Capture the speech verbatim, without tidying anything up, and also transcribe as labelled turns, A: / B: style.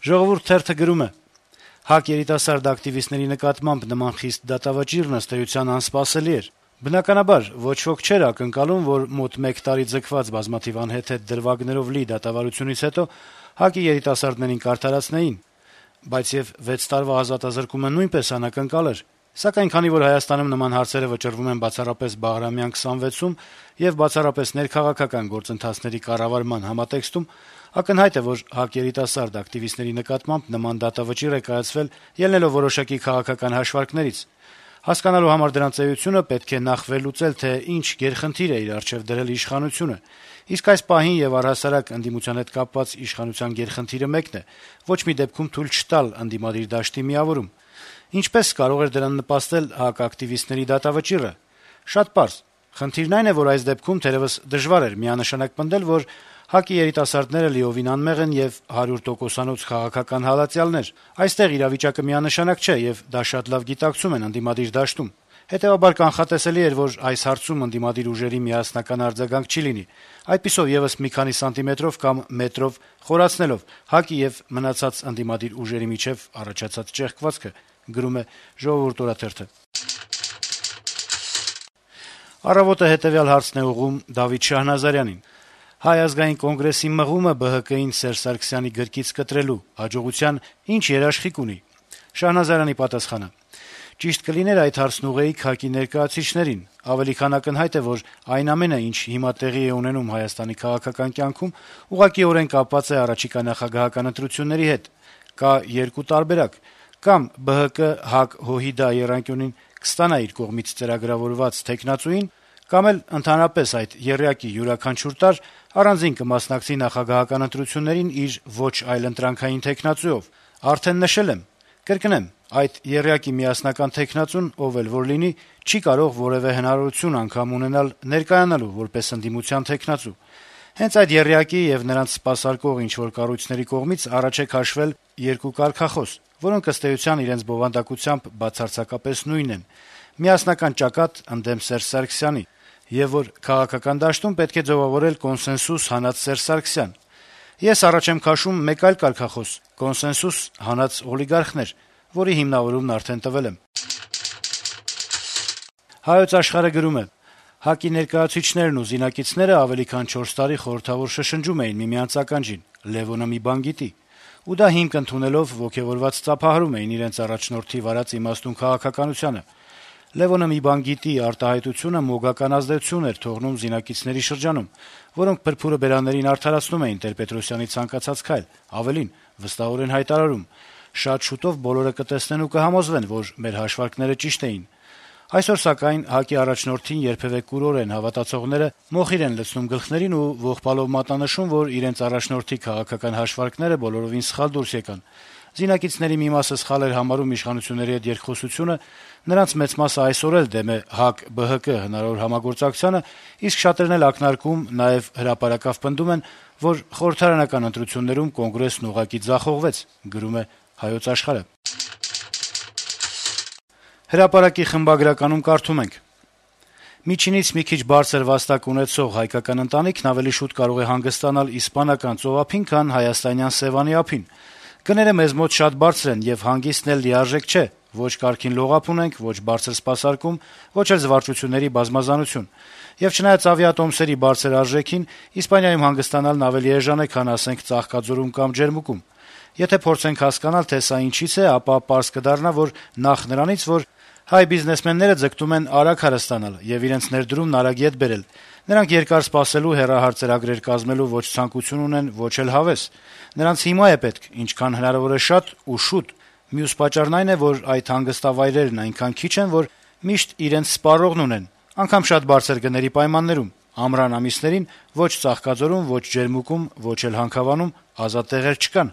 A: «Ժողովուրդ» թերթը գրում է. - «ՀԱԿ երիտասարդ ակտիվիստների նկատմամբ նման խիստ դատավճիռն ըստ էության անսպասելի էր: Բնականաբար, ոչ ոք չէր ակնկալում, որ մոտ մեկ տարի ձգված բազմաթիվ անհեթեթ դրվագներով լի դատավարությունից հետո ՀԱԿ-ի երիտասարդներին կարդարացնեին: Բայց եւ վեց տարվա ազատազրկումը նույնպես անակնկալ էր: Սակայն քանի որ Հայաստանում նման հարցերը վճռվում են բացառապես Բաղրամյան քսանվեցում եւ բացառապես ներքաղաքական գործընթացների կառավարման համատեքստում, ակնհայտ է, որ ՀԱԿ երիտասարդ ակտիվիստների նկատմամբ նման դատավճիռ է կայացվել ելնելով որոշակի քաղաքական հաշվարկներից: Հասկանալու համար դրանց էությունը պետք է նախ վերլուծել, թե ինչ գերխնդիր է իր առջեւ դրել իշխանությունը: Իսկ այս պահին եւ առհասարակ ընդդիմության հետ կապված իշխանության գերխնդիրը մեկն է՝ ոչ մի դեպքում թույլ չտալ ընդդիմադիր դաշտի միավորում: Ինչպե՞ս կարող էր դրան նպաստել ՀԱԿ ակտիվիստների դատավճիռը: Շատ պարզ. խնդիրն այն է, որ այս դեպքում թերեւս դժվար էր միանշանակ պնդել, որ ՀԱԿ-ի երիտասարդները լիովին անմեղ են եւ հարյուր տոկոսանոց քաղաքական հալածյալներ: Այստեղ իրավիճակը միանշանակ չէ, եւ դա շատ լավ գիտակցում են ընդդիմադիր դաշտում: Հետեւաբար կանխատեսելի էր, որ այս հարցում ընդդիմադիր ուժերի միասնական արձագանք չի լինի, այդպիսով եւս մի քանի սանտիմետրով կամ մետրով խորացնելով ՀԱԿ-ի եւ մնացած ընդդիմադիր ուժերի միջեւ առաջացած ճեղքվածքը»: «Առավոտ»-ը հետեւյալ հարցն է ուղղում Դավիթ Շահնազարյանին. - «Հայ ազգային կոնգրեսի մղումը ԲՀԿ-ին Սերժ Սարգսյանի գրկից կտրելու հաջողության ինչ երաշխիք ունի»: Շահնազարյանի պատասխանը. - «Ճիշտ կլիներ այդ հարցն ուղղեիք ՀԱԿ-ի ներկայացուցիչներին: Ավելի քան ակնհայտ է, որ այն ամենը, ինչ հիմա տեղի է ունենում Հայաստանի քաղաքական կյանքում, ուղղակիորեն կապված է առաջիկա նախագահական ընտրությունների հետ: Կա երկու տարբերակ. կամ ԲՀԿ-ՀԱԿ-ՀՅԴ եռանկյունին կստանա իր կողմից ծրագրավորված թեկնածուին, կամ էլ ընդհանրապես այդ եռյակի յուրաքանչյուր տարր առանձին կմասնակցի նախագահական ընտրություններին իր ոչ այլընտրանքային թեկնածուով: Արդեն նշել եմ: Կրկնեմ, այդ եռյակի միասնական թեկնածուն, ով էլ որ լինի, չի կարող որեւէ հնարավորություն անգամ ունենալ ներկայանալու որպես ընդդիմության թեկնածու: Հենց այդ եռյակի եւ նրանց սպասարկող ինչ-որ կառույցների կողմից առաջ է քաշվել երկու կարգախոս, որոնք ըստ էության իրենց բովանդակությամբ բացարձակապես նույնն են՝ միասնական ճակատ ընդդեմ Սերժ Սարգսյանի, եւ որ քաղաքական դաշտում պետք է ձեւավորել կոնսենսուս հանած Սերժ Սարգսյան: Ես առաջ եմ քաշում մեկ այլ կարգախոս՝ կոնսենսուս հանած օլիգարխներ, որի հիմնավորումն արդեն տվել եմ»: «Հայոց Աշխարհ»-ը գրում է. - «ՀԱԿ-ի ներկայացուցիչներն ու զինակիցները ավելի քան չորս տարի խորհրդավոր շշնջում էին միմյանց ականջին՝ Լեւոնը մի բան գիտի: Ու դա հիմք ընդունելով ոգեւորված ծափահարում էին իրենց առաջնորդի վարած իմաստուն քաղաքականությանը: Լեւոնը մի բան գիտի արտահայտությունը մոգական ազդեցություն էր թողնում զինակիցների շրջանում, որոնք փրփուրը բերաններին արդարացնում էին Տեր-Պետրոսյանի ցանկացած քայլ, ավելին՝ վստահորեն հայտարարում. շատ շուտով բոլորը կտեսնեն ու կհամոզվեն, որ մեր հաշվարկները ճիշտ էին: Այսօր, սակայն, ՀԱԿ-ի առաջնորդին երբեւէ կուրորեն հավատացողները մոխիր են լցնում գլխներին ու ողբալով մատնանշում, որ իրենց առաջնորդի քաղաքական հաշվարկները բոլորովին սխալ դուրս եկան: Զինակիցների մի մասը սխալ էր համարում իշխանությունների հետ երկխոսությունը, նրանց մեծ մասը այսօր էլ դեմ է ՀԱԿ-ԲՀԿ հնարավոր համագործակցությանը, իսկ շատերն էլ ակնարկում, նաեւ հրապարակավ պնդում են, որ խորհրդարանական ընտրություններում Կոնգրեսն ուղղակի ձախողվեց»: «Հրապարակ»-ի խմբագրականում կարդում ենք. - «Միջինից մի քիչ բարձր վաստակ ունեցող հայկական ընտանիքն ավելի շուտ կարող է հանգստանալ իսպանական ծովափին, քան հայաստանյան Սեւանի ափին: Գները մեզ մոտ շատ բարձր են, եւ հանգիստն էլ լիարժեք չէ: Ոչ կարգին լողափ ունենք, ոչ բարձր սպասարկում, ոչ էլ զվարճությունների բազմազանություն: Եվ չնայած ավիատոմսերի բարձր արժեքին, Իսպանիայում հանգստանալն ավելի էժան է, քան, ասենք, Ծաղկաձորում կամ Ջերմուկում: Եթե փորձենք հասկանալ, թե սա ինչից է, ապա պարզ կդառնա, որ նախ նրանից, որ հայ բիզնեսմենները ձգտում են արագ հարստանալ եւ իրենց ներդրումն արագ ետ բերել: Նրանք երկար սպասելու, հեռահար ծրագրեր կազմելու ոչ ցանկություն ունեն, ոչ էլ հավես: Նրանց հիմա է պետք, ինչքան հնարավոր է շատ ու շուտ: Մյուս պատճառն այն է, որ այդ հանգստավայրերն այնքան քիչ են, որ միշտ իրենց սպառողն ունեն, անգամ շատ բարձր գների պայմաններում: Ամռան ամիսներին ոչ Ծաղկաձորում, ոչ Ջերմուկում, ոչ էլ Հանքավանում ազատ տեղեր չկան»: